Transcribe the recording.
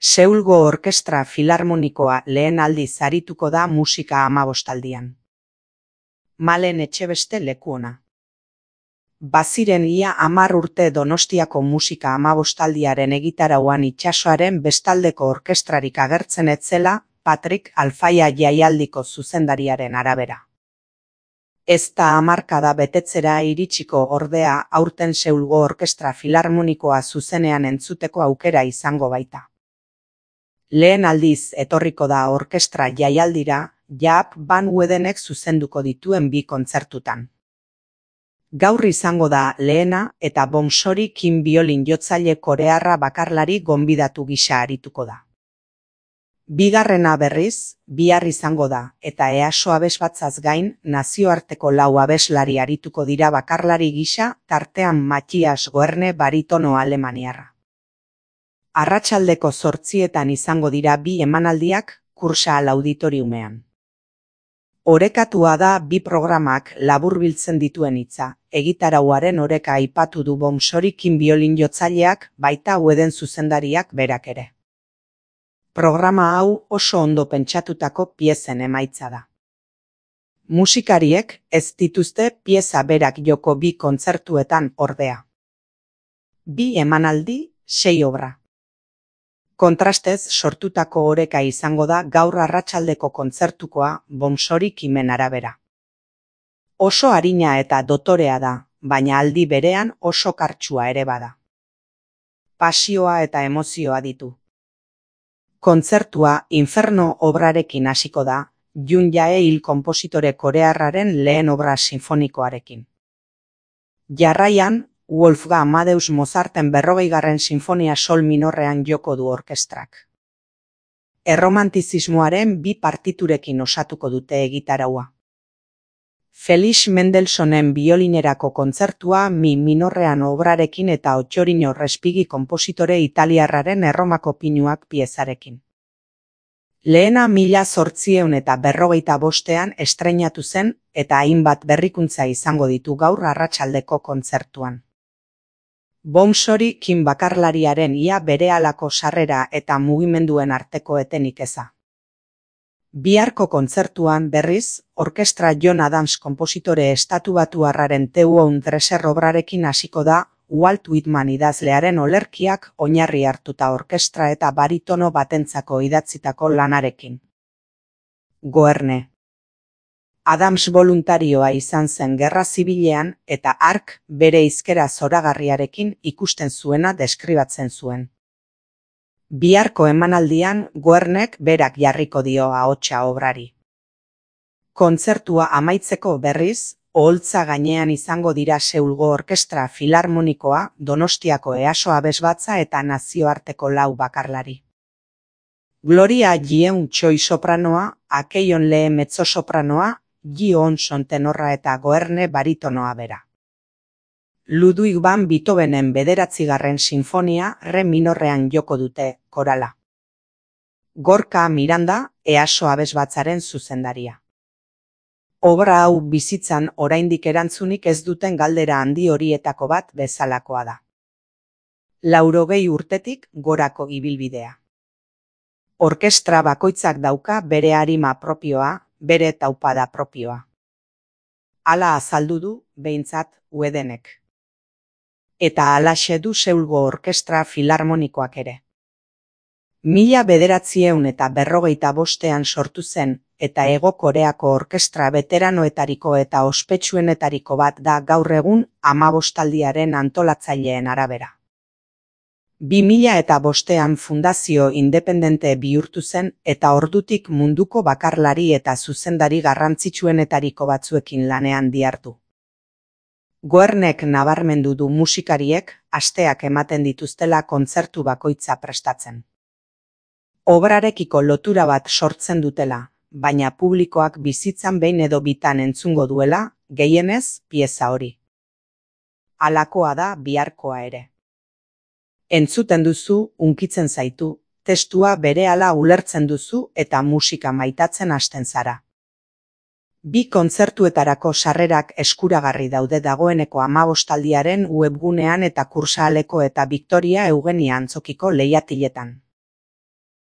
Seulgo Orkestra Filarmonikoa lehen aldiz arituko da musika 15aldian. Malen Etxebeste leku ona. Baziren ia 10 urte Donostiako musika 15aldiaren egitarauan itsasoaren bestaldeko orkestrarik agertzen ez zela, Patrik Alfaia jaialdiko zuzendariaren arabera. Ez da hamarkada betetzera iritsiko ordea aurten Seulgo Orkestra Filarmonikoa zuzenean entzuteko aukera izango baita. Lehen aldiz etorriko da orkestra jaialdira, Jaap Van Wedenek zuzenduko dituen 2 kontzertutan. Gaur izango da lehena eta Bomsori Kim biolin jotzaile korearra bakarlari gonbidatu gisa arituko da. Bigarrena berriz, bihar izango da, eta EASO abesbatzaz gain, nazioarteko 4 abeslari arituko dira bakarlari gisa, tartean Mathias Goerne baritono alemaniarra. Arratsaldeko 8etan izango dira 2 emanaldiak, Kursaal auditoriumean. Orekatua da 2 programak laburbiltzen dituen hitza, egitarauaren oreka aipatu du Bomsori Kim biolin jotzaileak, baita Weden zuzendariak berak ere. Programa hau oso ondo pentsatutako piezen emaitza da. Musikariek ez dituzte pieza berak joko 2 kontzertuetan ordea. 2 emanaldi, 6 obra. Kontrastez sortutako oreka izango da gaur arratsaldeko kontzertukoa Bomsori Kimen arabera. Oso arina eta dotorea da, baina aldi berean oso kartsua ere bada. Pasioa eta emozioa ditu. Kontzertua Inferno obrarekin hasiko da, Jun Jae-il konpositore korearraren lehen obra sinfonikoarekin. Jarraian, Wolfgang Amadeus Mozarten 40. sinfonia sol minorrean joko du orkestrak. Erromantizismoaren 2 partiturekin osatuko dute egitaraua. Felix Mendelssohnen biolinerako kontzertua mi minorrean obrarekin eta Ottorino Respighi konpositore italiarraren Erromako pinuak piezarekin. Lehena 1855ean estreinatu zen eta hainbat berrikuntza izango ditu gaur arratsaldeko kontzertuan. Bomsori Kim bakarlariaren ia berehalako sarrera eta mugimenduen arteko etenik eza. Biharko kontzertuan berriz, orkestra John Adams konpositore estatubatuarraren Teuon Dresser obrarekin hasiko da, Walt Whitman idazlearen olerkiak oinarri hartuta orkestra eta baritono batentzako idatzitako lanarekin. Goerne. Adams voluntarioa izan zen Gerra Zibilean eta hark bere hizkera zoragarriarekin ikusten zuena deskribatzen zuen. Biharko emanaldian Goernek berak jarriko dio ahotsa obrari. Kontzertua amaitzeko berriz, oholtza gainean izango dira Seulgo Orkestra Filarmonikoa, Donostiako EASO abesbatza eta nazioarteko 4 bakarlari. Gloria Yeun Choi sopranoa, Akeion Lee mezzosopranoa, Ji Onson tenorra eta Goerne baritonoa bera. Ludwig van Beethovenen 9. sinfonia re minorrean joko dute, korala. Gorka Miranda, EASO abesbatzaren zuzendaria. Obra hau bizitzan oraindik erantzunik ez duten galdera handi horietako bat bezalakoa da. 80 urtetik gorako ibilbidea. Orkestra bakoitzak dauka bere arima propioa, bere taupada propioa. Hala azaldu du, behintzat, Wedenek. Eta halaxe du Seulgo Orkestra Filarmonikoak ere. 1945ean sortu zen, eta Hego Koreako orkestra veteranoetariko eta ospetsuenetariko bat da gaur egun 15aldiaren antolatzaileen arabera. 2005ean fundazio independente bihurtu zen eta ordutik munduko bakarlari eta zuzendari garrantzitsuenetariko batzuekin lanean dihardu. Goernek nabarmendu du musikariek asteak ematen dituztela kontzertu bakoitza prestatzen. Obrarekiko lotura bat sortzen dutela, baina publikoak bizitzan behin edo bitan entzungo duela, gehienez, pieza hori. Halakoa da biharkoa ere. Entzuten duzu, hunkitzen zaitu, testua berehala ulertzen duzu eta musika maitatzen hasten zara. 2 kontzertuetarako sarrerak eskuragarri daude dagoeneko 15aldiaren webgunean eta Kursaaleko eta Victoria Eugenia Antzokiko leihatiletan.